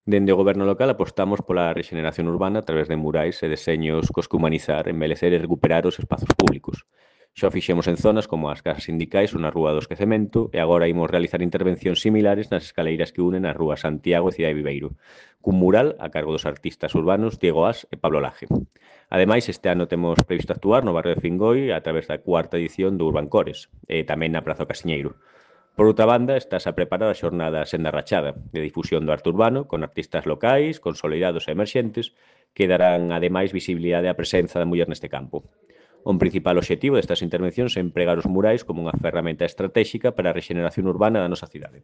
Dende o goberno local apostamos pola rexeneración urbana a través de murais e deseños cos que humanizar, embelecer e recuperar os espazos públicos. Xa o fixemos en zonas como as casas sindicais ou na Rúa do Esquecemento e agora imos realizar intervencións similares nas escaleiras que unen as rúas Santiago e Cidade Viveiro, cun mural a cargo dos artistas urbanos Diego As e Pablo Laje. Ademais, este ano temos previsto actuar no barrio de Fingoi a través da cuarta edición do Urban Cores e tamén na Praza do Casiñeiro. Por outra banda, estás a preparar a xornada Senda Rachada, de difusión do arte urbano, con artistas locais, consolidados e emerxentes, que darán, ademais, visibilidade á presenza da muller neste campo. Un principal obxectivo destas intervencións é empregar os murais como unha ferramenta estratéxica para a rexeneración urbana da nosa cidade.